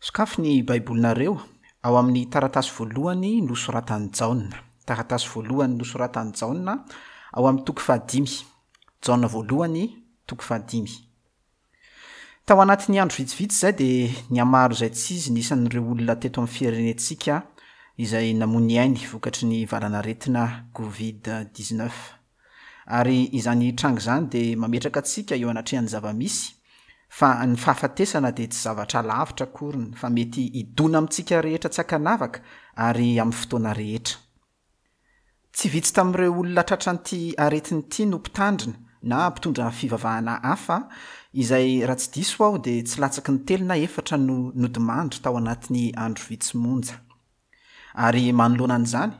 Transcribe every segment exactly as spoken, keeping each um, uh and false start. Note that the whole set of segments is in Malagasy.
Sokafy ny Baibolinareo ao amin'ny taratasy voalohany nosoratan'i Jaona. Taratasy voalohany nosoratan'i Jaona ao amin'ny toko fahadimy. Jaona voalohany, toko fahadimy. Tao anatin'ny andro vitsivitsy izay dia nihamaro izay tsy izy ny isan'ireo olona teto amin'ny firenentsika izay namoy ny ainy vokatry ny valanaretina Covid dix-neuf. Ary izany tranga izany dia mametraka antsika eo anatrehan'ny zava-misy fa ny fahafatesana dia tsy zavatra lavitra akoriny fa mety hidona amintsika rehetra tsy ankanavaka ary amin'ny fotoana rehetra. Tsy vitsy tamin'ireo olona tratran'ity aretina ity no mpitandrina na mpitondra fivavahana hafa izay raha tsy diso aho dia tsy latsaky ny telo na efatra no nodimandry tao anatin'ny andro vitsy monja. Ary manoloana an'izany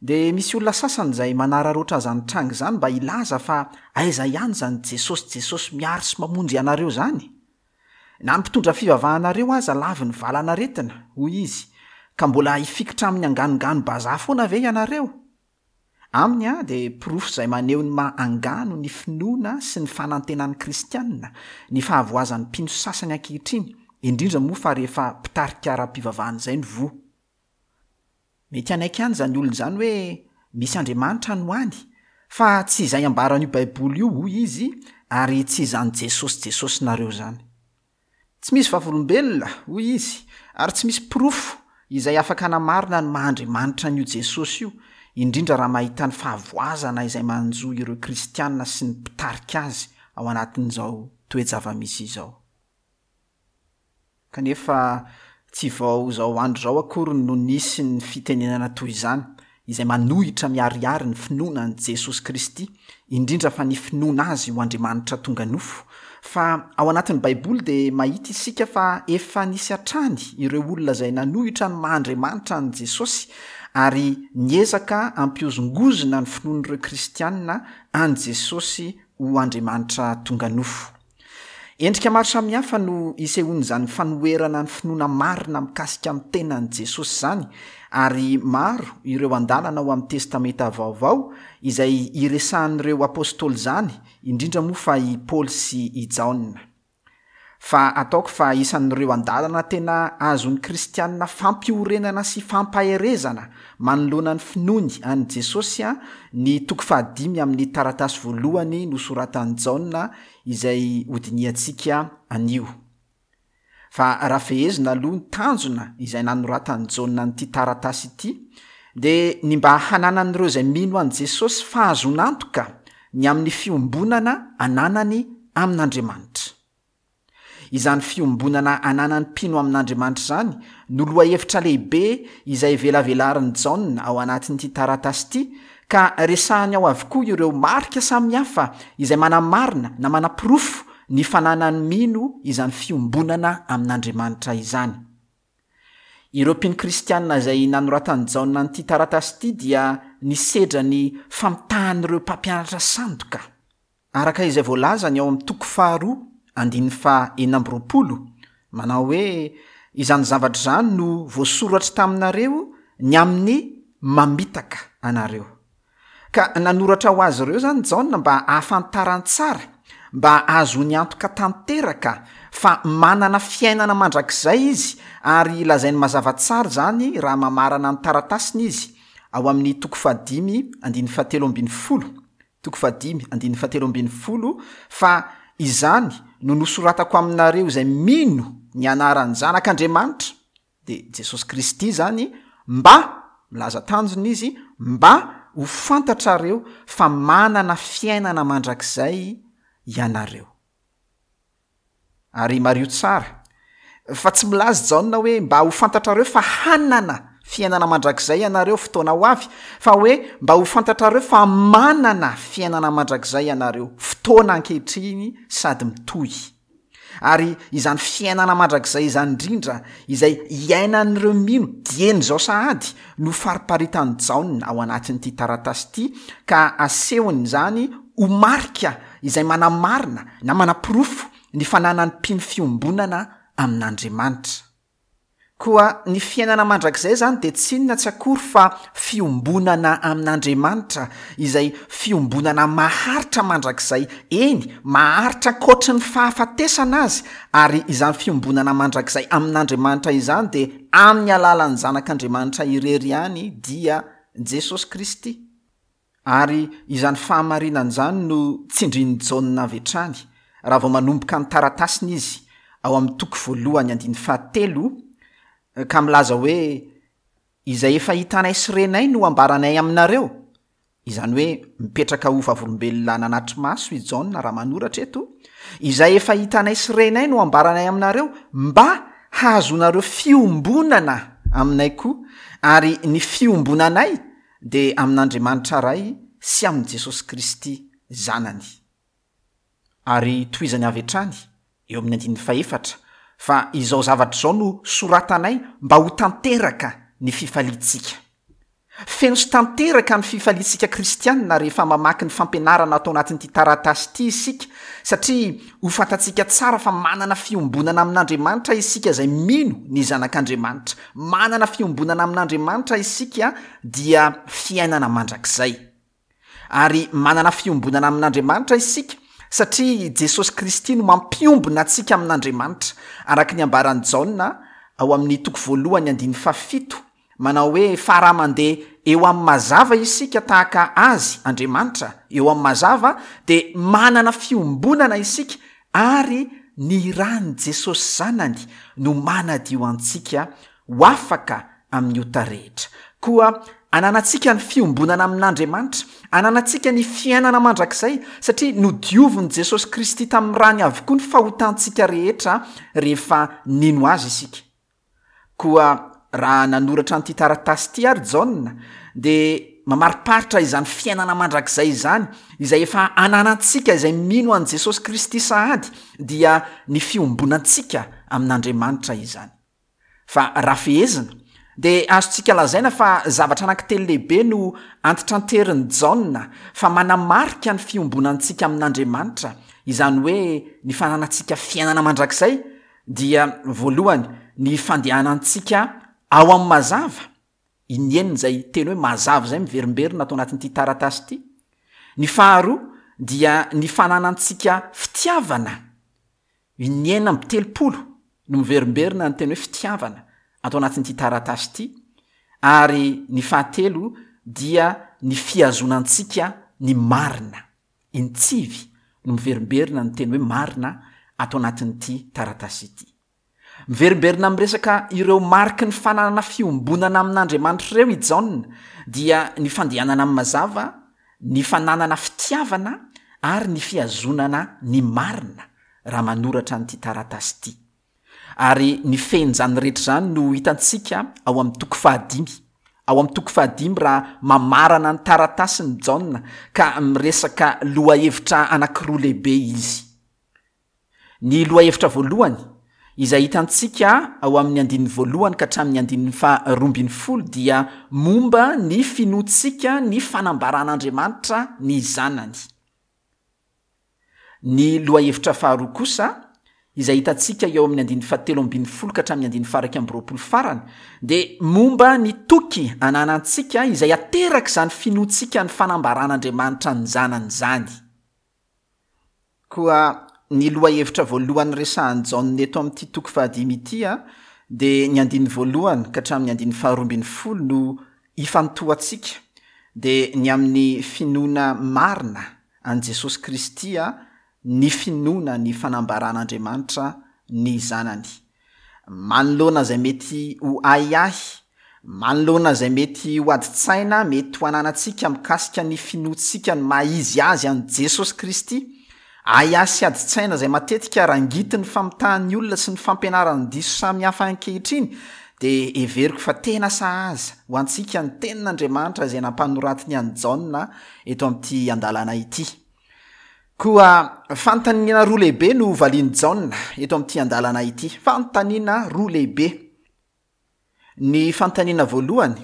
dia misy olona sasany izay manararaotra izany tranga izany mba hilaza fa aiza ihany izany Jesosy Jesosy miaro sy mamonjy anareo izany? Na ny mpitondra fivavahanareo aza laviny valanaretina, hoy izy, ka mbola hifikitra amin'ny anganongano bazaha foana ve ianareo? Aminy a dia porofo izay maneho ny maha angano ny finoana sy ny fanantenan'ny kristianina, ny fahavoazan'ny mpino sasany ankehitriny, indrindra moa fa rehefa mpitarika ara-pivavahana izay no voa. Mety hanaiky ihany izany olona izany hoe misy Andriamanitra no any, fa tsy izay ambaran'io Baiboly io, hoy izy, ary tsy izany Jesosy Jesosinareo izany. Tsy misy vavolombelona, hoy izy, ary tsy misy porofo izay afaka hanamarina ny maha Andriamanitra an'io Jesosy io, indrindra raha mahita ny fahavoazana izay manjo ireo kristianina sy ny mpitarika azy ao anatin'izao toe-java-misy izao. Kanefa tsy vao izao andro izao akory no nisy ny fitenenana toy izany, izay manohitra miharihary ny finoana an'i Jesosy Kristy, indrindra fa ny finoana azy ho Andriamanitra tonga nofo. Fa ao anatin'ny Baiboly dia mahita isika fa efa nisy hatrany ireo olona izay nanohitra ny maha Andriamanitra an'i Jesosy ary niezaka hampihozongozona ny finoan'ireo kristianina an'i Jesosy ho Andriamanitra tonga nofo. Endrika maro samihafa no isehoan'izany fanoherana ny finoana marina mikasika ny tenan'i Jesosy izany, ary maro ireo andalana ao amin'ny Testamenta Vaovao izay iresahan'ireo apôstôly izany, indrindra moa fa i Paoly sy i Jaona. Fa ataoko fa isan'ireo andalana tena azon'ny kristianina fampiorenana sy fampaherezana manoloana ny finoany an'i Jesosy ny toko fahadimy amin'ny taratasy voalohany nosoratan'i Jaona izay hodinihantsika anio. Fa raha fehezina aloha ny tanjona izay nanoratan'i Jaona an'ity taratasy ity, dia ny mba hananan'ireo izay mino an'i Jesosy fahazoan'antoka ny amin'ny fiombonana ananany amin'Andriamanitra. Izany fiombonana ananan'ny mpino amin'Andriamanitra izany no lohahevitra lehibe izay velavelarin'i Jaona ao anatin'ity taratasy ity, ka resahany ao avokoa ireo marika samihafa izay manamarina na manaporofo ny fananan'ny mino izany fiombonana amin'Andriamanitra izany. Ireo mpino kristianina izay nanoratan'i Jaona an'ity taratasy ity dia nisedra ny famitahan'ireo mpampianatra sandoka. Araka izay voalazany ao amin'ny toko faharoa, andininy faha enina amby roapolo, manao hoe izany zavatra izany no voasoratra taminareo ny amin'ny mamitaka anareo. Ka nanoratra ho azy ireo izany Jaona mba hahafantarany tsara, mba hahazoany antoka tanteraka fa manana fiainana mandrakizay izy, ary lazainy mazava tsara izany raha mamarana ny taratasiny izy ao amin'ny toko fahadimy andininy fahatelo ambin'ny folo. Toko fahadimy andininy fahatelo ambin'ny folo, fa izany no nosoratako aminareo izay mino ny anaran'ny Zanak'Andriamanitra, dia Jesosy Kristy izany, mba, milaza tanjona izy, mba ho fantatrareo fa manana fiainana mandrakizay ianareo. Ary mariho tsara fa tsy milaza Jaona hoe mba ho fantatrareo fa hanana fiainana mandrakizay ianareo fotoana ho avy, fa hoe mba ho fantatrareo fa manana fiainana mandrakizay ianareo fotoana ankehitriny sady mitohy. Ary izany fiainana mandrakizay izany indrindra izay iainan'ireo mino dieny izao sahady no fariparitan'i Jaona ao anatin'ity taratasy ity, ka asehony izany ho marika izay manamarina na manaporofo ny fananan'ny mpino fiombonana amin'Andriamanitra. Koa ny fiainana mandrakizay izany dia tsy inona tsy akory fa fiombonana amin'Andriamanitra, izay fiombonana maharitra mandrakizay, eny, maharitra ankoatry ny fahafatesana aza, ary izany fiombonana mandrakizay amin'Andriamanitra izany dia amin'ny alalan'ny Zanak'Andriamanitra irery ihany, dia Jesosy Kristy. Ary izany fahamarinana izany no tsindrin'i Jaona avy hatrany raha vao manomboka ny taratasiny izy ao amin'ny toko voalohany andininy fahatelo, ka milaza hoe izay efa hitanay sy renay no ambaranay aminareo. Izany hoe mipetraka ho vavolombelona nanatri-maso i Jaona raha manoratra eto, izay efa hitanay sy renay no ambaranay aminareo mba hahazoanareo fiombonana aminay koa, ary ny fiombonanay dia amin'Andriamanitra Ray sy amin'i Jesosy Kristy Zanany. Ary tohizany avy hatrany eo amin'ny andininy fahefatra fa izao zavatra izao no soratanay mba ho tanteraka ny fifaliantsika. Feno sy tanteraka ny fifaliantsika kristianina rehefa mamaky ny fampianarana ato anatin'ity taratasy ity isika, satria ho fantatsika tsara fa manana fiombonana amin'Andriamanitra isika izay mino ny Zanak'Andriamanitra. Manana fiombonana amin'Andriamanitra isika dia fiainana mandrakizay. Ary manana fiombonana amin'Andriamanitra isika satria Jesosy Kristy no mampiombona antsika amin'Andriamanitra, araka ny ambaran'i Jaona ao amin'ny toko voalohany andininy fahafito, manao hoe fa raha mandeha eo amin'ny mazava isika tahaka Azy, Andriamanitra, eo amin'ny mazava, dia manana fiombonana isika, ary ny ran'i Jesosy Zanany no manadio antsika ho afaka amin'ny ota rehetra. Koa ananantsika ny fiombonana amin'Andriamanitra, ananantsika ny fiainana mandrakizay, satria nodiovin'i Jesosy Kristy tamin'ny rany avokoa ny fahotantsika rehetra rehefa nino Azy isika. Koa raha nanoratra an'ity taratasy ity ary Jaona, dia mamariparitra izany fiainana mandrakizay izany, izay efa ananantsika izay mino an'i Jesosy Kristy sahady, dia ny fiombonantsika amin'Andriamanitra izany. Fa raha fehezina, dia azontsika lazaina fa zavatra anankitelo lehibe no antitranterin'i Jaona fa manamarika ny fiombonantsika amin'Andriamanitra, izany hoe ny fananantsika fiainana mandrakizay, dia voalohany ny fandehanantsika ao amin'ny mazava, inenina izay teny hoe mazava izay miverimberina ato anatin'ity taratasy ity. Ny faharoa dia ny fananantsika fitiavana, inenina amby telopolo no miverimberina ny teny hoe fitiavana ato anatin'ity taratasy ity. Ary ny fahatelo dia ny fihazonantsika ny marina, intsivy no miverimberina ny teny hoe marina ato anatin'ity taratasy ity. Miverimberina miresaka ireo mariky ny fananana fiombonana amin'Andriamanitra ireo i Jaona, dia ny fandehanana amin'ny mazava, ny fananana fitiavana ary ny fihazonana ny marina raha manoratra an'ity taratasy ity. Ary ny fehin'izany rehetra izany no hitantsika ao amin'ny toko fahadimy. Ao amin'ny toko fahadimy raha mamarana ny taratasiny Jaona ka miresaka lohahevitra anankiroa lehibe izy. Ny lohahevitra voalohany izay hitantsika ao amin'ny andininy voalohany ka hatramin'ny andininy faharoa ambin'ny folo dia momba ny finoantsika ny fanambaran'Andriamanitra ny Zanany. Ny lohahevitra faharoa kosa izay hitantsika eo amin'ny andininy fahatelo ambin'ny folo ka hatramin'ny andininy faha-iraika amby roapolo farany dia momba ny toky ananantsika izay ateraka izany finoantsika ny fanambaran'Andriamanitra ny Zanany izany. Koa ny lohahevitra voalohany resahan'i Jaona eto amin'ity toko fahadimy ity a, dia ny andininy voalohany ka hatramin'ny andininy faharoa ambin'ny folo no ifantohantsika, dia ny amin'ny finoana marina an'i Jesosy Kristy a, ny finoana ny fanambaran'Andriamanitra ny Zanany. Manoloana izay mety ho ahiahy, manoloana izay mety ho adin-tsaina mety ho ananantsika mikasika ny finoantsika ny maha izy azy an'i Jesosy Kristy, ahiahy sy adin-tsaina izay matetika rangitin'ny famitahan'ny olona sy ny fampianaran'ny diso samihafa ankehitriny, dia heveriko fa tena sahaza ho antsika ny tenin'Andriamanitra izay nampanoratiny an'i Jaona eto amin'ity andalana ity. Koa fanontaniana roa lehibe no valian'i Jaona eto amin'ity andalana ity. Fanontaniana roa lehibe. Ny fanontaniana voalohany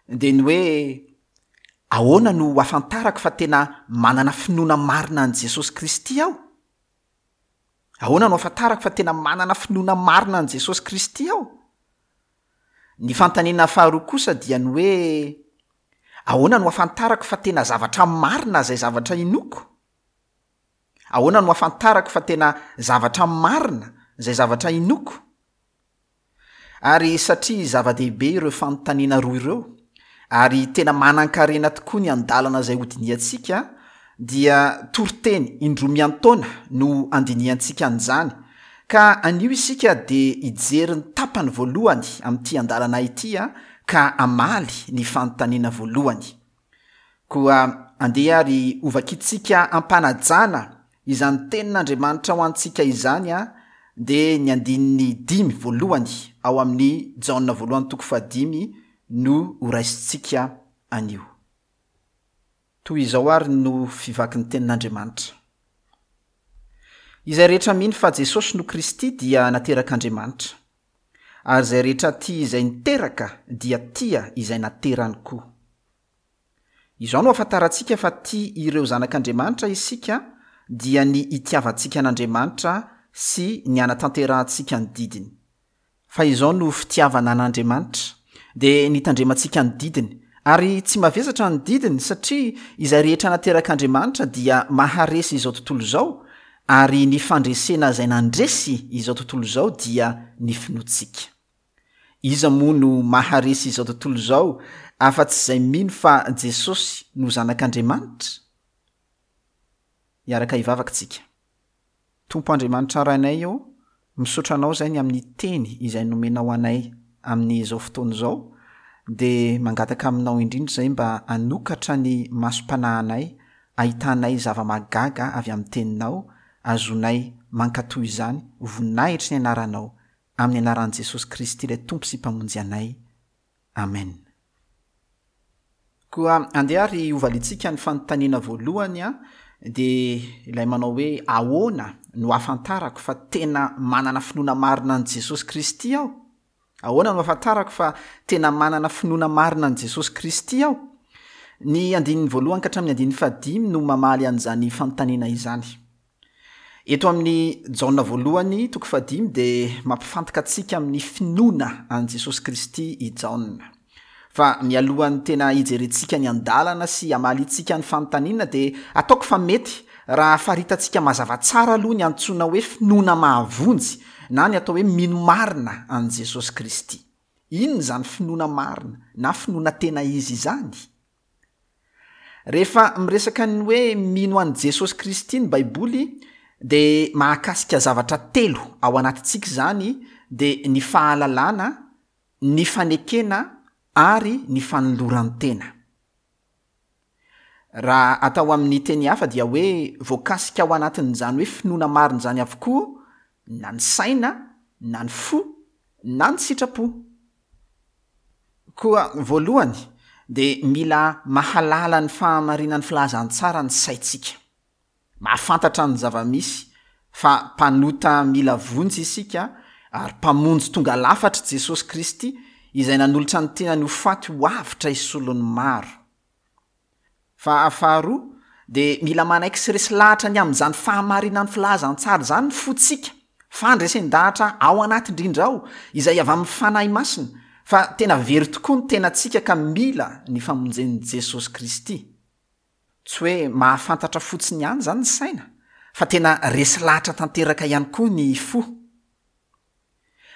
dia ny hoe ahoana no ahafantarako fa tena manana finoana marina an'i Jesosy Kristy aho? Ahoana no ahafantarako fa tena manana finoana marina an'i Jesosy Kristy aho? Ny fanontaniana faharoa kosa dia ny hoe, ahoana no ahafantarako fa tena zavatra marina izay zavatra inoako? Ahoana no ahafantarako fa tena zavatra marina izay zavatra inoako? Ary satria zava-dehibe ireo fanontaniana roa ireo, ary tena manan-karena tokoa ny andalana izay hodinihantsika, dia toriteny indroa miantaona no andinihantsika an'izany, ka anio isika dia hijery ny tapany voalohany amin'ity andalana ity ka hamaly ny fanontaniana voalohany. Koa andeha ary hovakintsika am-panajana izany tenin'Andriamanitra ho antsika izany, dia ny andininy dimy voalohany ao amin'ny Jaona voalohany toko fahadimy no horaisintsika anio. Toy izao ary no fivaky ny tenin'Andriamanitra. Izay rehetra mino fa Jesosy no Kristy dia naterak'Andriamanitra, ary izay rehetra tia izay niteraka dia tia izay naterany koa. Izao no ahafantarantsika fa tia ireo zanak'Andriamanitra isika, dia ny itiavantsika an'Andriamanitra sy ny hanatanterahantsika ny didiny. Fa izao no fitiavana an'Andriamanitra, dia ny hitandremantsika ny didiny, ary tsy mavesatra ny didiny, satria izay rehetra naterak'Andriamanitra dia maharesy izao tontolo izao, ary ny fandresena izay nandresy izao tontolo izao dia ny finoantsika. Iza moa no maharesy izao tontolo izao afa-tsy izay mino fa Jesosy no zanak'Andriamanitra? Hiaraka hivavaka tsika. Tompo Andriamanitra Rainay ô, misaotra Anao izay ny amin'ny teny izay nomenao anay amin'izao fotoana izao, dia mangataka aminao indrindra izay mba hanokatra ny masom-panahinay, ahitanay zava-mahagaga avy amin'ny teninao, azonay mankatò izany, voninahitry ny anaranao, amin'ny anaran'i Jesosy Kristy ilay Tompo sy Mpamonjy anay. Amen. Koa andeha ary hovaliantsika ny fanontaniana voalohany, dia ilay manao hoe ahoana no ahafantarako fa tena manana finoana marina an'i Jesosy Kristy aho? Ahoana no ahafantarako fa tena manana finoana marina an'i Jesosy Kristy aho? Ny andininy voalohany ka hatramin'ny andininy fahadimy no mamaly an'izany fanontaniana izany. Eto amin'ny Jaona voalohany toko fahadimy dia mampifantoka antsika amin'ny finoana an'i Jesosy Kristy i Jaona. Fa mialohan'ny tena hijerentsika ny andalana sy hamaliantsika ny fanontaniana dia ataoko fa mety raha faritantsika mazava tsara aloha ny antsoina hoe finoana mahavonjy na ny atao hoe mino marina an'i Jesosy Kristy. Inona izany finoana marina na finoana tena izy izany? Rehefa miresaka ny hoe mino an'i Jesosy Kristy ny Baiboly dia mahakasika zavatra telo ao anatintsika izany, dia ny fahalalana, ny fanekena ary ny fanoloran-tena. Raha atao amin'ny teny hafa dia hoe voakasika ao anatin'izany hoe finoana marina izany avokoa na ny saina, na ny fo, na ny sitrapo. Koa voalohany dia mila mahalala ny fahamarinan'ny filazantsara ny saintsika. Mahafantatra ny zava-misy fa mpanota mila vonjy isika ary mpamonjy tonga lafatra Jesosy Kristy izay nanolotra ny tenany ho faty ho avotra hisolon'ny maro. Fa faharoa dia mila manaiky sy resy lahatra ny amin'izany fahamarinan'ny filazantsara izany ny fontsika, fandresen-dahatra ao anaty indrindra ao izay avy amin'ny Fanahy Masina, fa tena very tokoa ny tenantsika ka mila ny famonjen'i Jesosy Kristy. Tsy hoe mahafantatra fotsiny ihany izany ny saina, fa tena resy lahatra tanteraka ihany koa ny fo.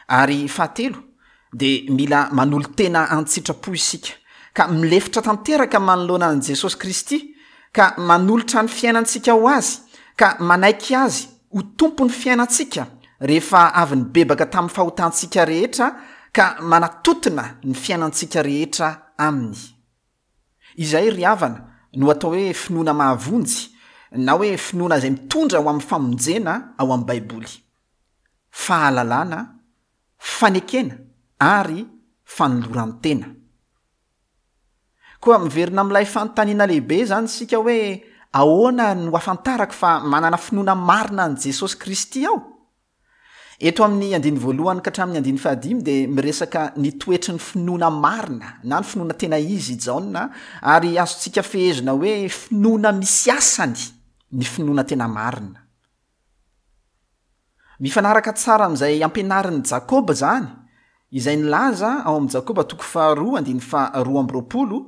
Ary fahatelo dia mila manolo-tena an-tsitrapo isika, ka milefitra tanteraka manoloana an'i Jesosy Kristy, ka manolotra ny fiainantsika ho Azy, ka manaiky Azy ho tompon'ny fiainantsika rehefa avy nibebaka tamin'ny fahotantsika rehetra, ka manatotona ny fiainantsika rehetra Aminy. Izay ry havana no atao hoe finoana mahavonjy, na hoe finoana izay mitondra ho amin'ny famonjena ao amin'ny Baiboly. Fahalalana, fanekena ary fanoloran-tena. Koa miverina amin'ilay fanontaniana lehibe izany isika hoe ahoana no ahafantarako fa manana finoana marina an'i Jesosy Kristy aho? Eto amin'ny andininy voalohany ka hatramin'ny andininy fahadimy dia miresaka ny toetry ny finoana marina na ny finoana tena izy i Jaona, ary azontsika fehezina hoe finoana misy asany ny finoana tena marina. Mifanaraka tsara amin'izay ampianarin'i Jakoba izany, izay nilaza ao amin'i Jakoba toko faharoa andininy faharoa amby roapolo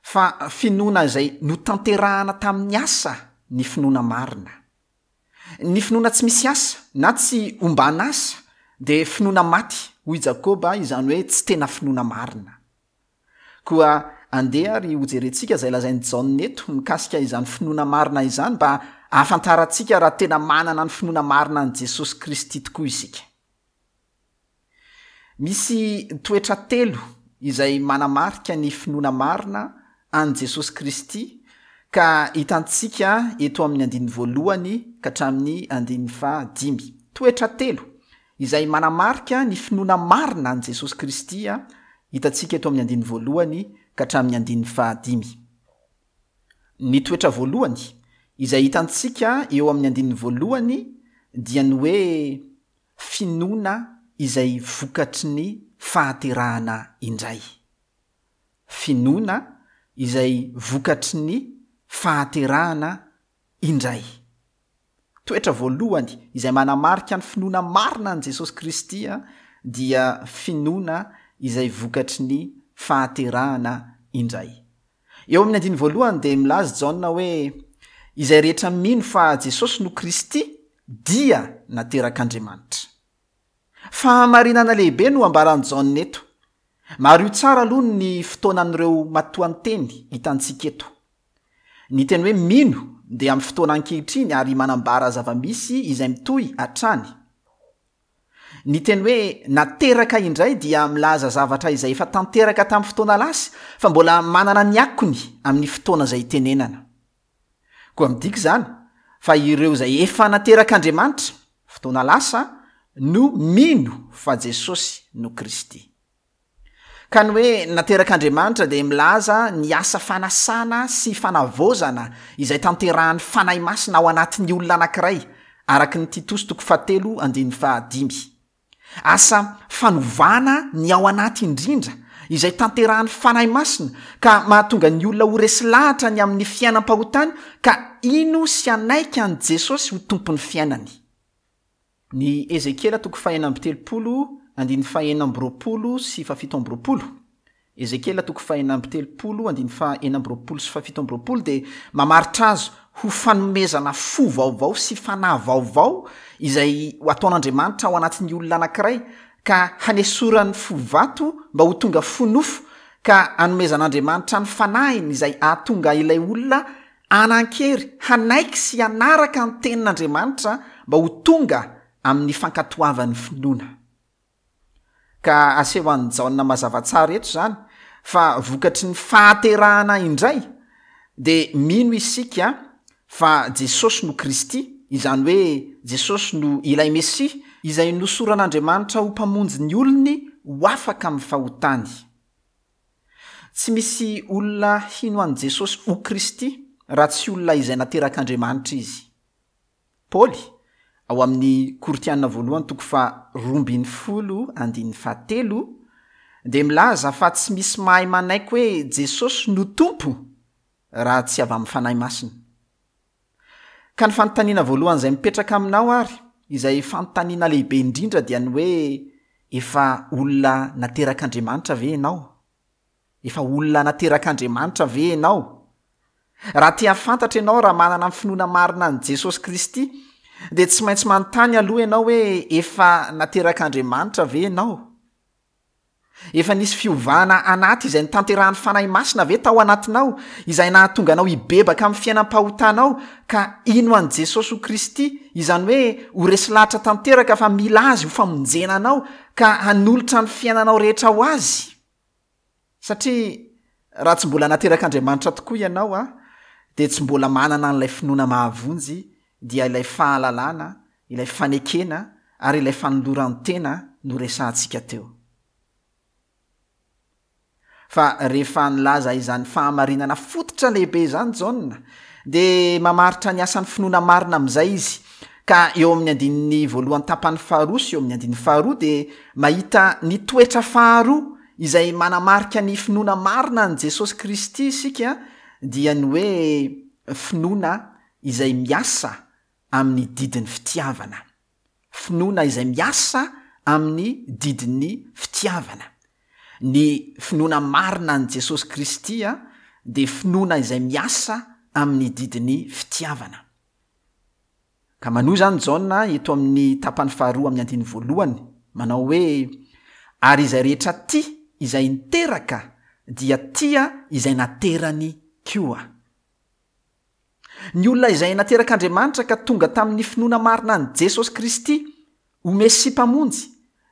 fa finoana izay notanterahana tamin'ny asa ny finoana marina. Ny finoana tsy misy asa na tsy omban'asa dia finoana maty, hoy Jakoba, izany hoe tsy tena finoana marina. Koa andeha ary hojerentsika izay lazain'i Jaona eto mikasika izany finoana marina izany mba hahafantarantsika raha tena manana ny finoana marina an'i Jesosy Kristy tokoa isika. Misy toetra telo izay manamarika ny finoana marina an'i Jesosy Kristy ka hitantsika eto amin'ny andininy voalohany ka hatramin'ny andininy fahadimy. Toetra telo izay manamarika ny finoana marina an'i Jesosy Kristy hitantsika eto amin'ny andininy voalohany ka hatramin'ny andininy fahadimy. Ny toetra voalohany izay hitantsika eo amin'ny andininy voalohany dia ny hoe finoana izay vokatry ny fahaterahana indray. Finoana izay vokatry ny fahaterahana indray. Toetra voalohany izay manamarika ny finoana marina an'i Jesosy Kristy dia finoana izay vokatry ny fahaterahana indray. Eo amin'ny andininy voalohany dia milaza Jaona hoe izay rehetra mino fa Jesosy no Kristy dia naterak'Andriamanitra. Fahamarinana lehibe no ambaran'i Jaona eto. Mariho tsara aloha ny fotoanan'ireo matoanteny hitantsika eto. Ny teny hoe mino dia amin'ny fotoana ankehitriny ary manambara zava-misy izay mitohy hatrany. Ny teny hoe nateraka indray dia milaza zavatra izay efa tanteraka tamin'ny fotoana lasa fa mbola manana ny akony amin'ny fotoana izay itenenana. Koa midika izany fa ireo izay efa naterak'Andriamanitra, fotoana lasa, no mino fa Jesosy no Kristy. Ka ny hoe naterak'Andriamanitra dia milaza ny asa fanasana sy fanavaozana izay tanterahan'ny Fanahy Masina ao anatin'ny olona anankiray, araka ny Titosy toko fahatelo andininy fahadimy. Asa fanovana ny ao anaty indrindra izay tanterahan'ny Fanahy Masina ka mahatonga ny olona ho resy lahatra ny amin'ny fiainam-pahotany ka hino sy hanaiky an'i Jesosy ho tompon'ny fiainany. Ny Ezekiela toko fahenina amby telopolo andininy fahenina amby roapolo sy fahafito amby roapolo. Ezekiela toko fahenina amby telopolo andininy fahenina amby roapolo sy fahafito amby roapolo dia mamaritra azy ho fanomezana fo vaovao sy fanahy vaovao izay ho ataon'Andriamanitra ao anatin'ny olona anankiray ka hanesorany fo vato mba ho tonga fo nofo ka hanomezan'Andriamanitra ny fanahiny izay hahatonga ilay olona hanan-kery hanaiky sy hanaraka ny tenin'Andriamanitra mba ho tonga amin'ny fankatoavan'ny finoana. Ka aseho an'i Jaona mazava tsara eto izany fa vokatry ny fahaterahana indray dia mino isika fa Jesosy no Kristy, izany hoe Jesosy no ilay Mesia izay nosoran'Andriamanitra ho mpamonjy ny olony ho afaka amin'ny fahotany. Tsy misy olona hino an'i Jesosy ho Kristy raha tsy olona izay naterak'Andriamanitra izy. Paoly, ao amin'ny Korintiana voalohany toko faharoa ambin'ny folo andininy fahatelo, dia milaza fa tsy misy mahay manaiky hoe Jesosy no Tompo raha tsy avy amin'ny Fanahy Masina. Ka ny fanontaniana voalohany izay mipetraka aminao ary, izay fanontaniana lehibe indrindra dia ny hoe efa olona naterak'Andriamanitra ve ianao? Efa olona naterak'Andriamanitra ve ianao? Raha te hahafantatra ianao raha manana ny finoana marina an'i Jesosy Kristy, dia tsy maintsy manontany aloha ianao hoe efa naterak'Andriamanitra ve ianao? Efa nisy fiovana anaty izay notanterahan'ny Fanahy Masina ve tao anatinao, izay nahatonga anao hibebaka amin'ny fiainam-pahotanao ka hino an'i Jesosy ho Kristy, izany hoe ho resy lahatra tanteraka fa mila Azy ho famonjena anao ka hanolotra ny fiainanao rehetra ho Azy? Satria raha tsy mbola naterak'Andriamanitra tokoa ianao, dia tsy mbola manana an'ilay finoana mahavonjy, dia ilay fahalalana, ilay fanekena ary ilay fanoloran-tena noresahantsika teo. Fa rehefa nilaza izany fahamarinana fototra lehibe izany Jaona, dia mamaritra ny asan'ny finoana marina amin'izay izy. Ka eo amin'ny andininy voalohany tapany faharoa sy eo amin'ny andininy faharoa dia mahita ny toetra faharoa izay manamarika ny finoana marina an'i Jesosy Kristy isika, dia ny hoe finoana izay miasa amin'ny didin'ny fitiavana. Finoana izay miasa amin'ny didin'ny fitiavana. Ny finoana marina an'i Jesosy Kristy dia finoana izay miasa amin'ny didin'ny fitiavana. Ka manohy izany Jaona eto amin'ny tapany faharoa amin'ny andininy voalohany, manao hoe, Ary izay rehetra tia izay niteraka dia tia izay naterany koa. Ny olona izay naterak'Andriamanitra ka tonga tamin'ny finoana marina an'i Jesosy Kristy ho Mesia Mpamonjy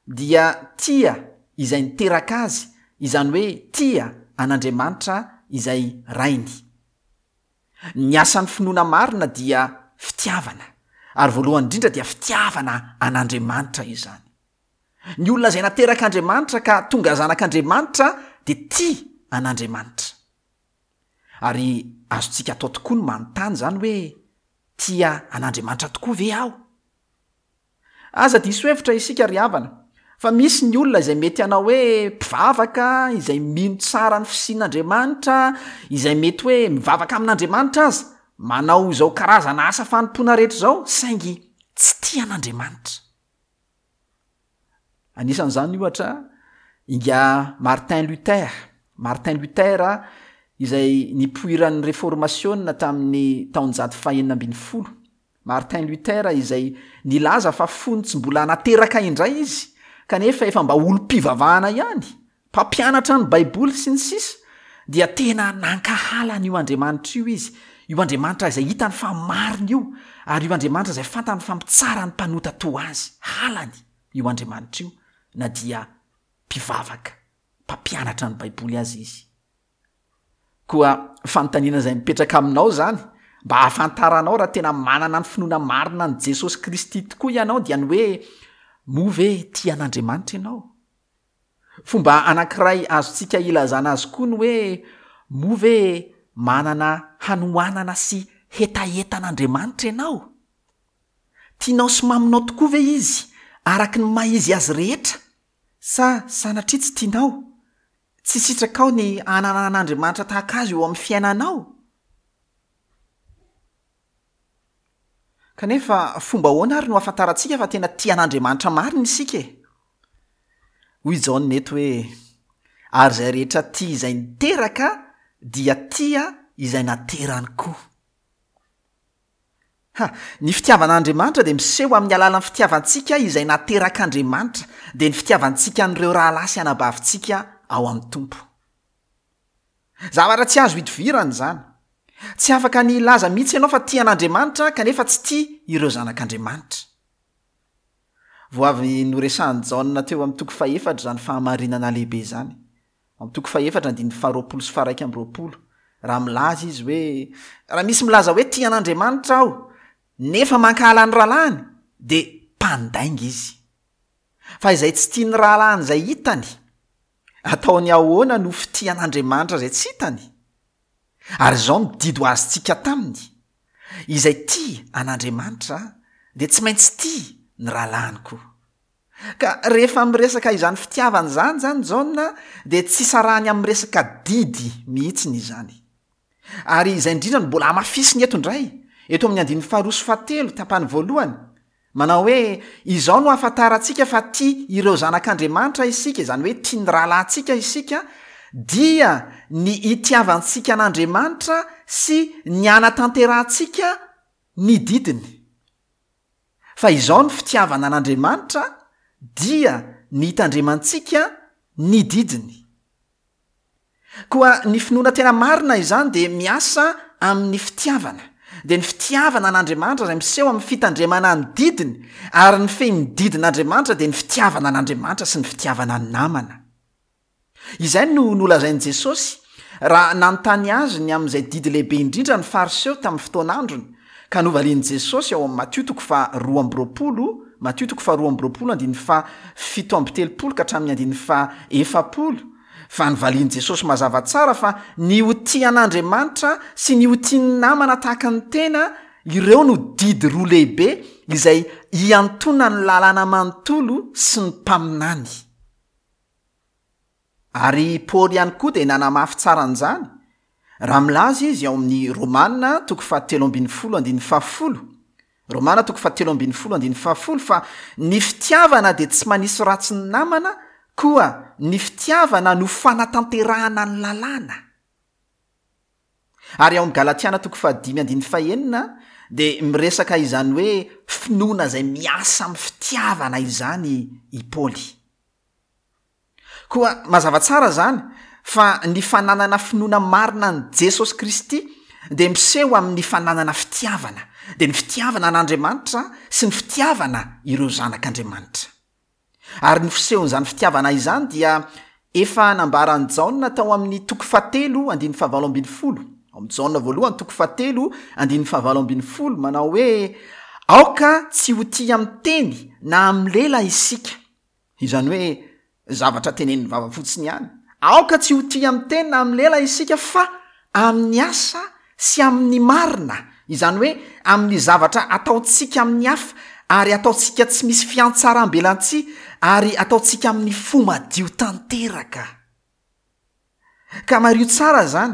dia tia izay niteraka azy, izany hoe tia an'Andriamanitra izay Rainy. Ny asan'ny finoana marina dia fitiavana, ary voalohany indrindra dia fitiavana an'Andriamanitra izany. Ny olona izay naterak'Andriamanitra ka tonga zanak'Andriamanitra dia tia an'Andriamanitra. Ary azontsika atao tokoa ny manontany izany hoe, tia an'Andriamanitra tokoa ve aho? Aza diso hevitra isika ry havana, fa misy ny olona izay mety hanao hoe mpivavaka, izay mino tsara ny fisian'Andriamanitra, izay mety hoe mivavaka amin'Andriamanitra aza, manao izao karazana asa fanompoana rehetra izao, saingy tsy tia an'Andriamanitra. Anisan'izany ohatra ingahy Martin Luther, Martin Luther izay nipoiran'ny Reformasiona tamin'ny taonjato fahenina ambin'ny folo. Martin Luther izay nilaza fa fony tsy mbola nateraka indray izy, kanefa efa mba olom-pivavahana ihany, mpampianatra ny Baiboly sy ny sisa, dia tena nankahala an'io Andriamanitra io izy, io Andriamanitra izay hitany fa marina io, ary io Andriamanitra izay fantany fa mitsara ny mpanota toa azy. Halany io Andriamanitra io na dia mpivavaka, mpampianatra ny Baiboly aza izy. Koa fanontaniana izay mipetraka aminao izany, mba hahafantaranao raha tena manana ny finoana marina an'i Jesosy Kristy tokoa ianao, dia ny hoe, moa ve tia an'Andriamanitra ianao? Fomba anankiray azontsika ilazana azy koa ny hoe, moa ve manana hanoanana sy hetaheta an'Andriamanitra ianao? Tianao sy maminao tokoa ve Izy araka ny maha izy azy rehetra, sa sanatria tsy tianao? Tsy sitrakao ny hanana an'Andriamanitra tahaka azy eo amin'ny fiainanao? Kanefa fomba ahoana ary no ahafantarantsika fa tena tia an'Andriamanitra marina isika e? Hoy Jaona eto hoe, Ary izay rehetra tia izay niteraka dia tia izay naterany koa. Ha! Ny fitiavana an'Andriamanitra dia miseho amin'ny alalan'ny fitiavantsika izay naterak'Andriamanitra, dia ny fitiavantsika an'ireo rahalahy sy anabavintsika ao amin'ny Tompo. Zavatra tsy azo idovirana izany. Tsy afaka ny hilaza mihitsy ianao fa tia an'Andriamanitra kanefa tsy tia ireo zanak'Andriamanitra. Vao avy noresahan'i Jaona teo amin'ny toko fahefatra izany fahamarinana lehibe izany. Amin'ny toko fahefatra andininy faharoapolo sy faharaika amby roapolo, raha milaza izy hoe, raha misy milaza hoe tia an'Andriamanitra aho, nefa mankahala ny rahalahiny, dia mpandainga izy. Fa izay tsy tia ny rahalahiny izay hitany, ataony ahoana no fitia an'Andriamanitra izay tsy hitany? Ary izao no didy ho azontsika taminy, izay tia an'Andriamanitra dia tsy maintsy tia ny rahalahiny koa. Ka rehefa miresaka izany fitiavana izany izany Jaona dia tsy sarahany amin'ny resaka didy mihitsiny izany. Ary izay indrindra no mbola hamafisiny eto indray, eto amin'ny andininy faharoa sy fahatelo, tapany voalohany, manao hoe, izao no ahafantarantsika fa tia ireo zanak'Andriamanitra isika, izany hoe tia ny rahalahintsika isika, dia ny itiavantsika an'Andriamanitra sy ny hanatanterahantsika ny didiny. Fa izao ny fitiavana an'Andriamanitra dia ny hitandremantsika ny didiny. Koa ny finoana tena marina izany dia miasa amin'ny fitiavana, dia ny fitiavana an'Andriamanitra izay miseho amin'ny fitandremana ny didiny, ary ny fehin'ny didin'Andriamanitra dia ny fitiavana an'Andriamanitra sy ny fitiavana ny namana. Izay no nolazain'i Jesosy raha nanontany azy ny amin'izay didy lehibe indrindra ny Fariseo tamin'ny fotoan'androny, ka novalian'i Jesosy ao amin'ny Matio toko faha roa amby roapolo, Matio toko faha roa amby roapolo andininy faha fito amby telopolo ka hatramin'ny andininy faha efapolo, fa novalian'i Jesosy mazava tsara fa ny ho tia an'Andriamanitra sy ny ho tia ny namana tahaka ny tena, ireo no didy roa lehibe izay iantonan'ny lalàna manontolo sy ny mpaminany. Ary i Paoly ihany koa dia nanamafy tsara an'izany, raha milaza izy ao amin'ny Romana toko fahatelo ambin'ny folo andininy fahafolo, Romana toko fahatelo ambin'ny folo andininy fahafolo fa ny fitiavana dia tsy manisy ratsy ny namana, koa ny fitiavana no fanatanterahana ny lalàna. Ary ao amin'ny Galatiana toko fahadimy andininy fahenina dia miresaka izany hoe finoana izay miasa amin'ny fitiavana izany i Paoly. Koa mazava tsara izany fa ny fananana finoana marina an'i Jesosy Kristy dia miseho amin'ny fananana fitiavana, dia ny fitiavana an'Andriamanitra sy ny fitiavana ireo zanak'Andriamanitra. Ary ny fisehon'izany fitiavana izany dia efa nambaran'i Jaona tao amin'ny toko fahatelo andininy fahavalo ambin'ny folo. Ao amin'ny Jaona voalohany toko fahatelo andininy fahavalo ambin'ny folo manao hoe aoka tsy ho tia amin'ny teny na amin'ny lela isika. Izany hoe zavatra tenenin'ny vava fotsiny ihany. Aoka tsy ho tia amin'ny teny na amin'ny lela isika fa amin'ny asa sy amin'ny marina. Izany hoe amin'ny zavatra ataontsika amin'ny hafa ary ataontsika tsy misy fiantsaram-belantsihy ary ataontsika amin'ny fo madio tanteraka. Ka mariho tsara izany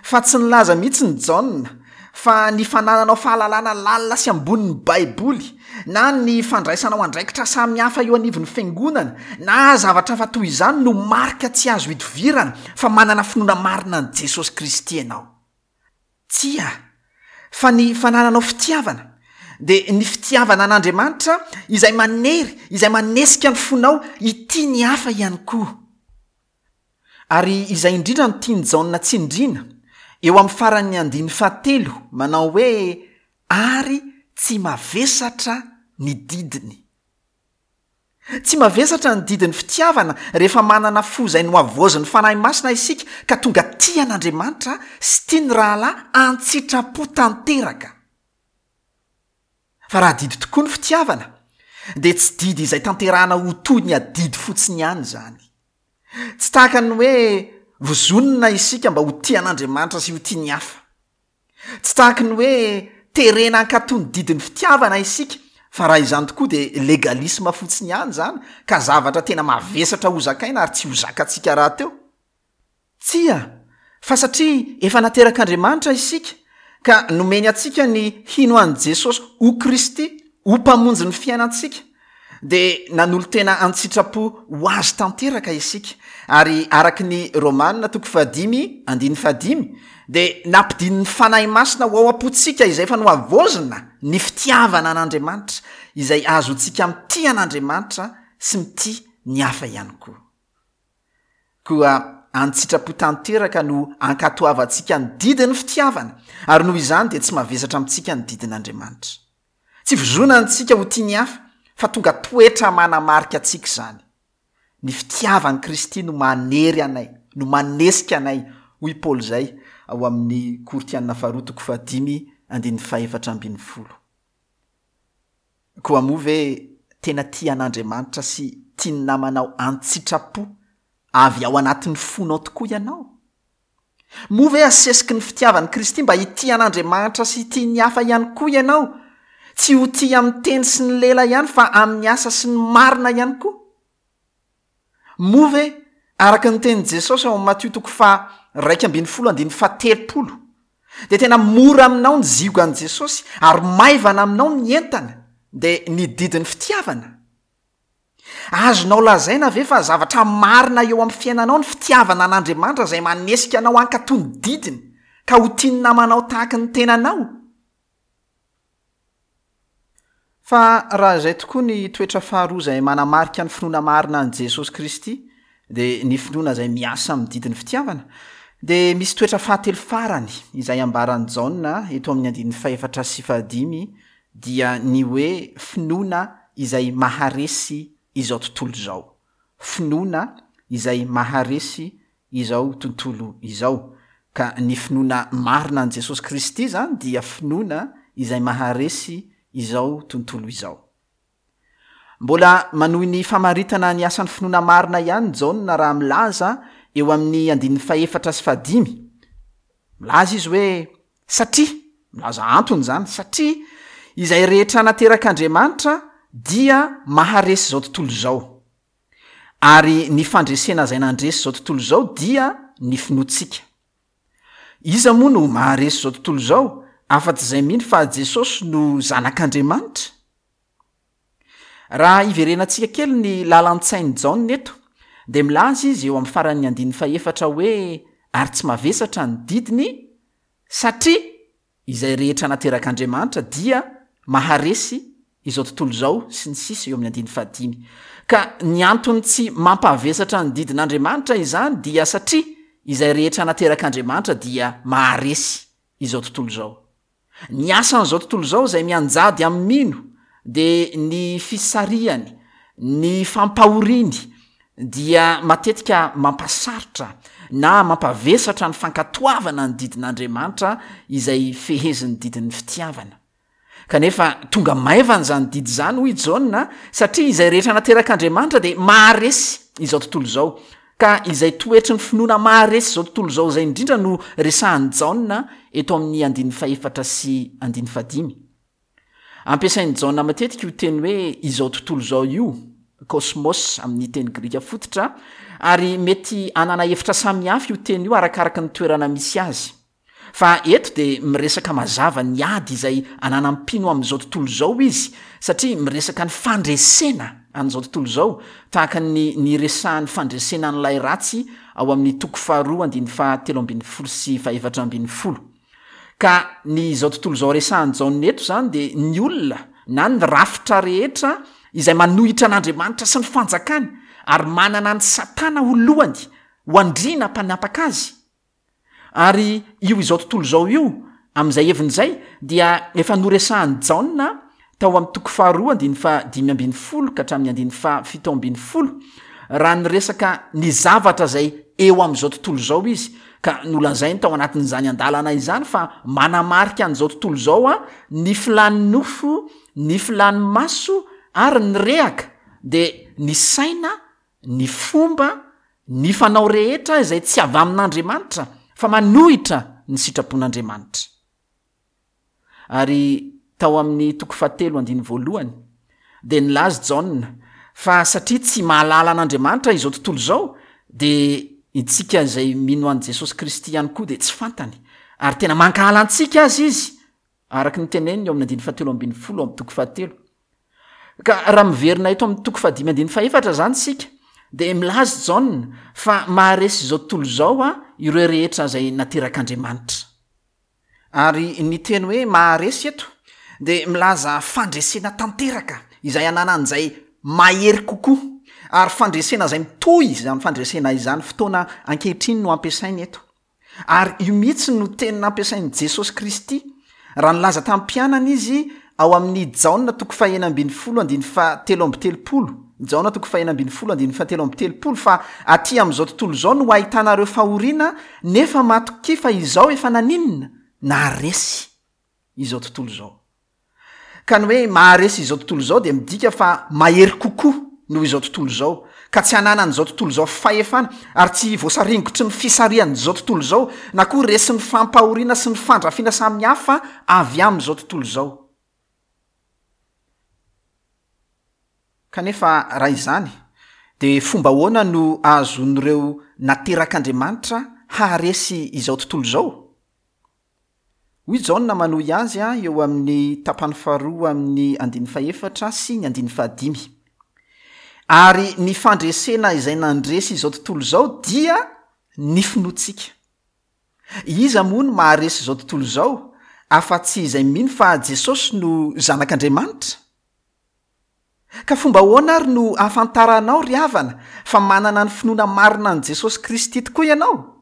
fa tsy nilaza mihitsy ny Jaona fa ny fanananao fahalalana lalina sy ambonin'ny Baiboly na ny fandraisanao andraikitra samihafa eo anivon'ny fiangonana na zavatra hafa toy izany no marika tsy azo idovirana fa manana finoana marina an'i Jesosy Kristy ianao. Tsia, fa ny fanananao fitiavana dia ny fitiavana an'Andriamanitra izay manery, izay manesika ny fonao hitia ny hafa ihany koa. Ary izay indrindra no tian'i Jaona tsindriana eo amin'ny faran'ny andininy fahatelo manao hoe ary tsy mavesatra ny didiny. Tsy mavesatra ny didin'ny fitiavana rehefa manana fo izay nohavaozin'ny Fanahy Masina isika ka tonga tia an'Andriamanitra sy tia ny rahalahy an-tsitrapo tanteraka. Fa raha didy tokoa ny fitiavana dia tsy didy izay tanterahana ho toy ny adidy fotsiny ihany izany. Tsy tahaka ny hoe vozonina isika mba ho tia an'Andriamanitra sy ho tia ny hafa. Tsy tahaka ny hoe terena hankatò ny didin'ny fitiavana isika, fa raha izany tokoa dia legalisma fotsiny ihany izany ka zavatra tena mavesatra ho zakaina ary tsy ho zakantsika rahateo. Tsia, fa satria efa naterak'Andriamanitra isika ka nomeny antsika ny hino an'i Jesosy ho Kristy, ho mpamonjy ny fiainantsika, dia nanolo-tena an-tsitrapo ho azy tanteraka isika. Ary araka ny Romana toko fahadimy andininy fahadimy dia nampidinin'ny Fanahy Masina ho ao am-pontsika izay efa nohavaozina ny fitiavana an'Andriamanitra, izay azontsika mitia an'Andriamanitra sy mitia ny hafa ihany koa. Koa an-tsitrapo tanteraka no ankatoavantsika ny didin'ny fitiavana, ary noho izany dia tsy mavesatra amintsika ny didin'Andriamanitra. Tsy vozonana antsika ho tia ny hafa, fa tonga toetra manamarika antsika izany. Ny fitiavan'i Kristy no manery anay, no manesika anay, hoy Paoly izay ao amin'ny Korintiana faharoa toko fahadimy andininy fahefatra ambin'ny folo. Koa moa ve tena tia an'Andriamanitra sy tia ny namanao an-tsitrapo avy ao anatin'ny fonao tokoa ianao? Moa ve asesiky ny fitiavan'i Kristy mba hitia an'Andriamanitra sy hitia ny hafa ihany koa ianao? Tsy ho tia amin'ny teny sy ny lela ihany fa amin'ny asa sy ny marina ihany koa? Moa ve araka ny tenin'i Jesosy ao amin'ny Matio toko faha iraika ambin'ny folo andininy fahatelopolo dia tena mora aminao ny ziogan'i Jesosy ary maivana aminao ny entana dia ny didin'ny fitiavana? Azonao lazaina ve fa zavatra marina eo amin'ny fiainanao ny fitiavana an'Andriamanitra izay manesika anao hankatò ny didiny ka ho tia ny namanao tahaka ny tenanao? Fa raha izay tokoa ny toetra faharoa izay manamarika ny finoana marina an'i Jesosy Kristy, dia ny finoana izay miasa amin'ny didin'ny fitiavana, dia misy toetra fahatelo farany izay ambaran'i Jaona eto amin'ny andininy fahefatra sy fahadimy, dia ny hoe finoana izay maharesy izao tontolo izao. Finoana izay maharesy izao tontolo izao. Ka ny finoana marina an'i Jesosy Kristy izany dia finoana izay maharesy izao tontolo izao. Mbola manohy ny famaritana ny asan'ny finoana marina ihany Jaona raha milaza eo amin'ny andininy fahefatra sy fahadimy. Milaza izy hoe satria, milaza antony izany, satria izay rehetra naterak'Andriamanitra dia maharesy izao tontolo izao. Ary ny fandresena izay nandresy izao tontolo izao dia ny finoantsika. Iza moa no maharesy izao tontolo izao afa-tsy izay mino fa Jesosy no Zanak'Andriamanitra? Raha iverenantsika kely ny lalan-tsain'i Jaona eto, dia milaza izy eo amin'ny faran'ny andininy fahefatra hoe ary tsy mavesatra ny didiny satria izay rehetra naterak'Andriamanitra dia maharesy izao tontolo izao sy ny sisa eo amin'ny andininy fahadimy. Ka ny antony tsy mampavesatra ny didin'Andriamanitra izany dia satria izay rehetra naterak'Andriamanitra dia maharesy izao tontolo izao. Ny asan'izao tontolo izao izay mianjady amin'ny mino dia ny fisarihany, ny fampahoriany dia matetika mampasarotra na mampavesatra ny fankatoavana ny didin'Andriamanitra izay fehezin'ny didin'ny fitiavana. Kanefa tonga maivana izany didy izany, hoy i Jaona, satria izay rehetra naterak'Andriamanitra dia maharesy izao tontolo izao. Ka izay toetry ny finoana maharesy izao tontolo izao izay indrindra no resahan'i Jaona eto amin'ny andininy fahefatra sy andininy fahadimy. Ampiasain'i Jaona matetika io teny hoe izao tontolo izao io, kosmos amin'ny teny grika fototra, ary mety hanana hevitra samihafa io teny io arakaraka ny toerana misy azy. Fa eto dia miresaka mazava ny ady izay ananan'ny mpino amin'izao tontolo izao izy, satria miresaka ny fandresena an'izao tontolo izao, tahaka ny niresahan'ny fandresena an'ilay ratsy ao amin'ny toko faharoa andininy fahatelo ambin'ny folo sy fahefatra ambin'ny folo. Ka ny izao tontolo izao resahan'i Jaona eto izany dia ny olona na ny rafitra rehetra izay manohitra an'Andriamanitra sy ny fanjakany ary manana an'i Satana ho lohany, ho andriana mpanapaka azy. Ary io izao tontolo izao io, amin'izay heviny izay, dia efa noresahan'i Jaona tao amin'ny toko faharoa andininy fahadimy ambin'ny folo ka hatramin'ny andininy fahafito ambin'ny folo, raha niresaka ny zavatra izay eo amin'izao tontolo izao izy, ka nolazainy tao anatin'izany andalana izany fa manamarika an'izao tontolo izao a ny filan'ny nofo, ny filan'ny maso ary ny rehaka, dia ny saina, ny fomba, ny fanao rehetra izay tsy avy amin'Andriamanitra fa manohitra ny sitrapon'Andriamanitra. Ary tao amin'ny toko fahatelo andininy voalohany dia nilaza Jaona fa satria tsy mahalala an'Andriamanitra izao tontolo izao, dia isika izay mino an'i Jesosy Kristy ihany koa dia tsy fantany, ary tena mankahala antsika azy izy, araka ny teneniny eo amin'ny andininy fahatelo ambin'ny folo amin'ny toko fahatelo. Ka raha miverina eto amin'ny toko fahadimy andininy fahefatra izany isika, dia milaza Jaona fa maharesy izao tontolo izao a ireo rehetra izay naterak'Andriamanitra. Ary ny teny hoe maharesy eto dia milaza fandresena tanteraka izay ananan'izay mahery kokoa, ary fandresena izay mitohy izany fandresena izany fotoana ankehitriny no ampiasainy eto. Ary io mihitsy no teny nampiasain'i Jesosy Kristy raha nilaza tamin'ny mpianany izy ao amin'ny Jaona toko fahenina ambin'ny folo andininy fahatelo amby telopolo, Jaona toko fahenina ambin'ny folo andininy fahatelo amby telopolo, fa aty amin'izao tontolo izao no ahitanareo fahoriana, nefa matokia fa izao efa naninona? Naharesy izao tontolo izao. Ka ny hoe maharesy izao tontolo izao dia midika fa mahery kokoa noho izao tontolo izao, ka tsy ananan'izao tontolo izao fahefana, ary tsy voasaringotry ny fisarihan'izao tontolo izao, na koa resin'ny fampahoriana sy ny fandrafiana samihafa avy amin'izao tontolo izao. Kanefa raha izany, dia fomba ahoana no ahazoan'ireo naterak'Andriamanitra haharesy izao tontolo izao? Hoy Jaona manohy azy eo amin'ny tapany faharoa amin'ny andininy fahefatra sy ny andininy fahadimy. Ary ny fandresena izay nandresy izao tontolo izao dia ny finoantsika. Iza moa no maharesy izao tontolo izao afa-tsy izay mino fa Jesosy no Zanak'Andriamanitra? Ka fomba ahoana ary no ahafantaranao, ry havana, fa manana ny finoana marina an'i Jesosy Kristy tokoa ianao?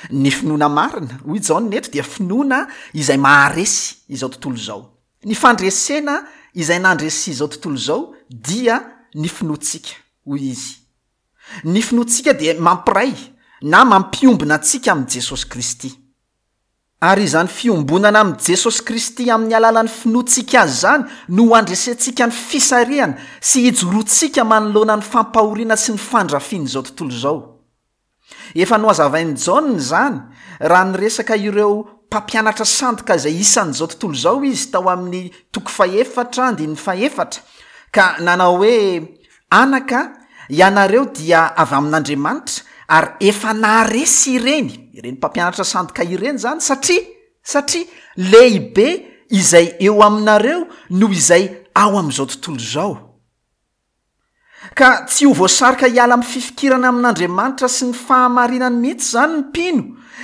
Ny finoana marina, hoy Jaona eto, dia finoana izay maharesy izao tontolo izao. Ny fandresena izay nandresy izao tontolo izao dia ny finoantsika, hoy izy. Ny finoantsika dia mampiray na mampiombona antsika amin'i Jesosy Kristy. Ary izany fiombonana amin'i Jesosy Kristy amin'ny alalan'ny finoantsika azy izany no handresentsika ny fisarihana sy hijoroantsika manoloana ny fampahoriana sy ny fandrafian'izao tontolo izao. Efa nohazavain'i Jaona izany raha niresaka ireo mpampianatra sandoka izay isan'izao tontolo izao izy tao amin'ny toko fahefatra andininy fahefatra, ka nanao hoe, Anaka, ianareo dia avy amin'Andriamanitra ary efa naharesy ireny, ireny mpampianatra sandoka ireny izany, satria Satria lehibe izay eo aminareo noho izay ao amin'izao tontolo izao. Ka tsy ho voasarika hiala amin'ny fifikirana amin'Andriamanitra sy ny fahamarinany mihitsy izany ny mpino,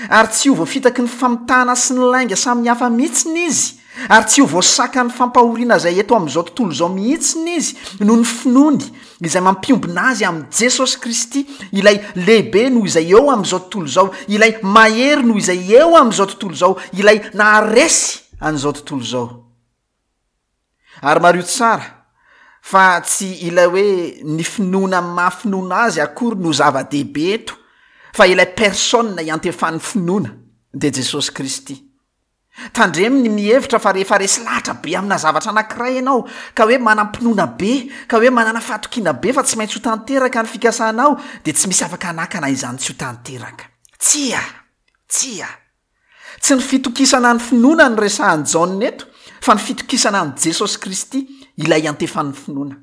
ary tsy ho voafitaky ny famitahana sy ny lainga samihafa mihitsy izy, ary tsy ho voasakan'ny fampahoriana izay eto amin'izao tontolo izao mihitsy izy noho ny finoany izay mampiombona azy amin'i Jesosy Kristy, ilay lehibe noho izay eo amin'izao tontolo izao, ilay mahery noho izay eo amin'izao tontolo izao, ilay naharesy an'izao tontolo izao. Ary mariho tsara fa tsy ilay hoe ny finoana amin'ny maha finoana azy akory no zava-dehibe eto, fa ilay personne iantefan'ny finoana dia Jesosy Kristy. Tandremo ny mihevitra fa rehefa resy lahatra be amina zavatra anankiray ianao, ka hoe manam-pinoana be, ka hoe manana fahatokiana be fa tsy maintsy ho tanteraka ny fikasanao, dia tsy misy afaka hanakana izany tsy ho tanteraka. Tsia! Tsia! Tsy ny fitokisana ny finoana no resahan'i Jaona eto, fa ny fitokisana an'i Jesosy Kristy, ilay iantefan'ny finoana.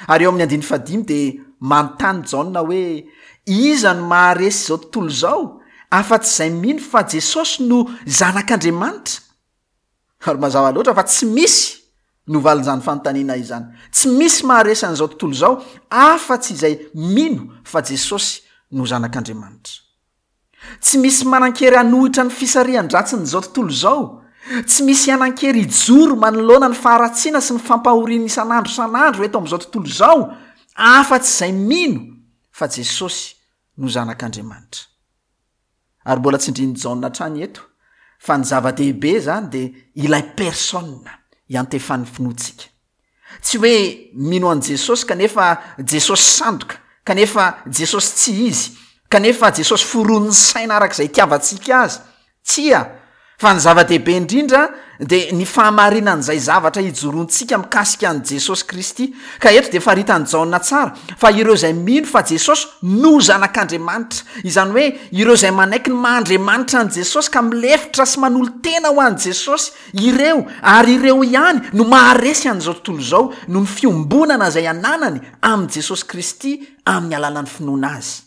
Ary eo amin'ny andininy fahadimy dia manontany Jaona hoe, Iza no maharesy izao tontolo izao, afa-tsy izay mino fa Jesosy no Zanak'Andriamanitra? Ary mazava loatra fa tsy misy no valin'izany fanontaniana izany. Tsy misy maharesy an'izao tontolo izao afa-tsy izay mino fa Jesosy no Zanak'Andriamanitra. Tsy misy manan-kery hanohitra ny fisarihan-dratsin'izao tontolo izao. Tsy misy hanan-kery hijoro manoloana ny faharatsiana sy ny fampahoriana isan'andro isan'andro eto amin'izao tontolo izao afa-tsy izay mino fa Jesosy no Zanak'Andriamanitra. Ary mbola tsindrin'i Jaona hatrany eto fa ny zava-dehibe izany dia ilay personne iantefan'ny finoantsika. Tsy hoe mino an'i Jesosy kanefa Jesosy sandoka, kanefa Jesosy tsy izy, kanefa Jesosy foronin'ny saina araka izay itiavantsika azy. Tsia, fa ny zava-dehibe indrindra dia ny fahamarinan'izay zavatra ijoroantsika mikasika an'i Jesosy Kristy. Ka eto dia faritan'i Jaona tsara fa ireo izay mino fa Jesosy no Zanak'Andriamanitra, izany hoe ireo izay manaiky ny maha Andriamanitra an'i Jesosy ka milefitra sy manolo-tena ho an'i Jesosy, ireo ary ireo ihany no maharesy an'izao tontolo izao noho ny fiombonana izay ananany amin'i Jesosy Kristy amin'ny alalan'ny finoana Azy.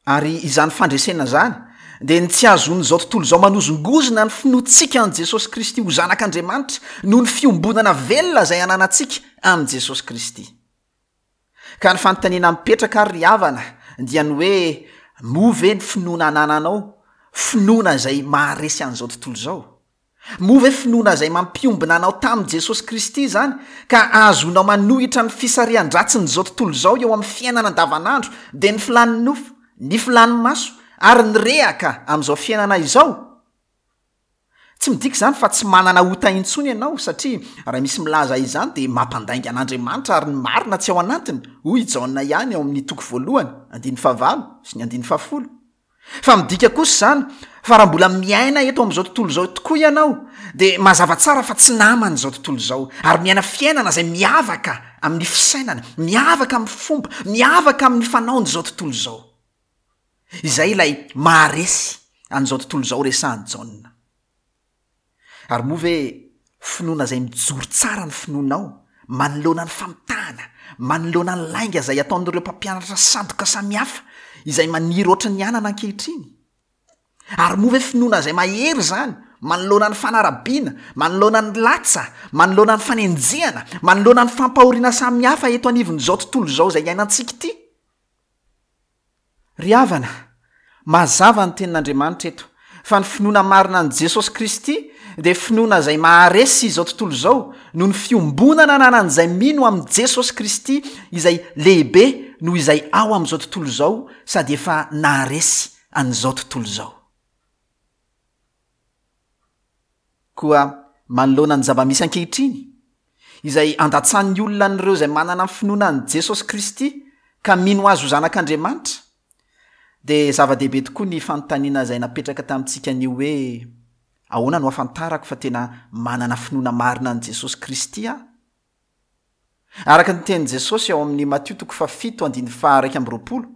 Ary izany fandresena izany dia ny tsy hahazoan'izao tontolo izao manozongozona ny finoantsika an'i Jesosy Kristy ho Zanak'Andriamanitra noho ny fiombonana velona izay ananantsika amin'i Jesosy Kristy. Ka ny fanontaniana mipetraka ary ry havana dia ny hoe, moa ve ny finoana anananao finoana izay maharesy an'izao tontolo izao? Moa ve finoana izay mampiombona anao tamin'i Jesosy Kristy izany ka ahazoanao manohitra ny fisarihan-dratsin'izao tontolo izao eo amin'ny fiainana andavanandro, dia ny filàn'ny nofo, ny filàn'ny maso ary ny rehaka amin'izao fiainana izao? Tsy midika izany fa tsy manana ota intsony ianao, satria raha misy milaza izany dia mampandainga an'Andriamanitra ary ny marina tsy ao anatiny, hoy i Jaona ihany ao amin'ny toko voalohany, andininy fahavalo sy ny andininy fahafolo. Fa midika kosa izany fa raha mbola miaina eto amin'izao tontolo izao tokoa ianao dia mazava tsara fa tsy naman'izao tontolo izao ary miaina fiainana izay miavaka amin'ny fisainana, miavaka amin'ny fomba, miavaka amin'ny fanaon'izao tontolo izao. Izay ilay maharesy an'izao tontolo izao resahan'i Jaona. Ary moa ve finoana izay mijoro tsara ny finoanao manoloana ny famitahana, manoloana ny lainga izay ataon'ireo mpampianatra sandoka samihafa izay maniry ohatry ny anana ankehitriny? Ary moa ve finoana izay mahery izany manoloana ny fanarabiana, manoloana ny latsa, manoloana ny fanenjehana, manoloana ny fampahoriana samihafa eto anivon'izao tontolo izao izay iainantsika ity? Ry havana, mazava ny tenin'Andriamanitra eto, fa ny finoana marina an'i Jesosy Kristy dia finoana izay maharesy izao tontolo izao noho ny fiombonana ananan'izay mino amin'i Jesosy Kristy izay lehibe noho izay ao amin'izao tontolo izao sady efa naharesy an'izao tontolo izao. Koa manoloana ny zava-misy ankehitriny, izay andatsan'ny olona an'ireo izay manana ny finoana an'i Jesosy Kristy ka mino Azy ho Zanak'Andriamanitra, dia zava-dehibe tokoa ny fanontaniana izay napetraka tamintsika anio hoe, Ahoana no ahafantarako fa tena manana finoana marina an'i Jesosy Kristy aho? Araka ny tenin'i Jesosy ao amin'ny Matio toko fahafito andininy faha-iraika amby roapolo,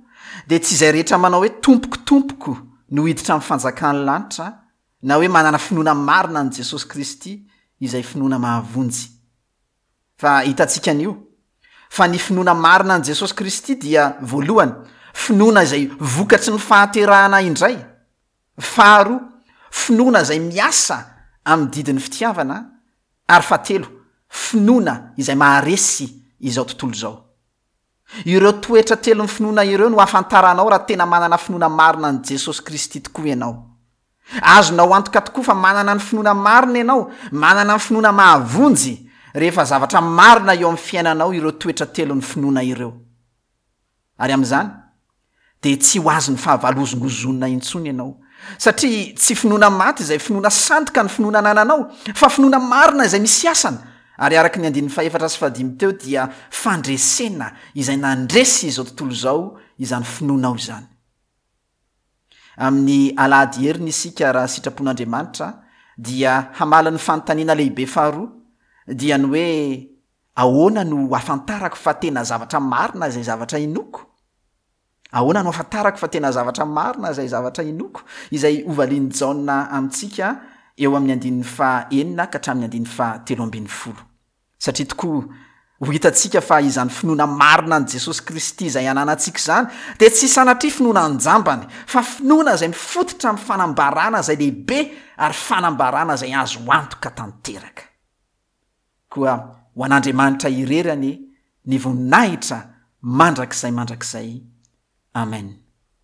dia tsy izay rehetra manao hoe Tompoko, Tompoko no hiditra amin'ny fanjakan'ny lanitra, na hoe manana finoana marina an'i Jesosy Kristy, izay finoana mahavonjy. Fa hitantsika anio, fa ny finoana marina an'i Jesosy Kristy dia, voalohany, finoana izay vokatry ny fahaterahana indray. Faharoa, finoana izay miasa amin'ny didin'ny fitiavana, ary fahatelo, finoana izay maharesy izao tontolo izao. Ireo toetra telon'ny finoana ireo no ahafantaranao raha tena manana finoana marina an'i Jesosy Kristy tokoa ianao. Azonao antoka tokoa fa manana ny finoana marina ianao, manana ny finoana mahavonjy, rehefa zavatra marina eo amin'ny fiainanao ireo toetra telon'ny finoana ireo. Ary amin'izany, dia tsy ho azon'ny fahavalo hozongozonina intsony ianao. Satria tsy finoana maty izay finoana sandoka ny finoana anananao, fa finoana marina izay misy asany. Ary araka ny andininy fahefatra sy fahadimy teo dia fandresena izay nandresy izao tontolo izao izany finoanao izany. Amin'ny alahady heriny isika raha sitrapon'Andriamanitra dia hamaly ny fanontaniana lehibe faharoa, dia ny hoe ahoana no ahafantarako fa tena zavatra marina izay zavatra inoako? Ahoana no ahafantarako fa tena zavatra marina izay zavatra inoako? Izay hovalian'i Jaona amintsika eo amin'ny andininy faha enina ka hatramin'ny andininy faha telo ambin'ny folo. Satria tokoa ho hitantsika fa izany finoana marina an'i Jesosy Kristy izay ananantsika izany dia tsy sanatria finoana an-jambany, fa finoana izay mifototra amin'ny fanambarana izay lehibe ary fanambarana izay azo antoka tanteraka. Koa ho an'Andriamanitra irery anie ny voninahitra mandrakizay mandrakizay. Amen.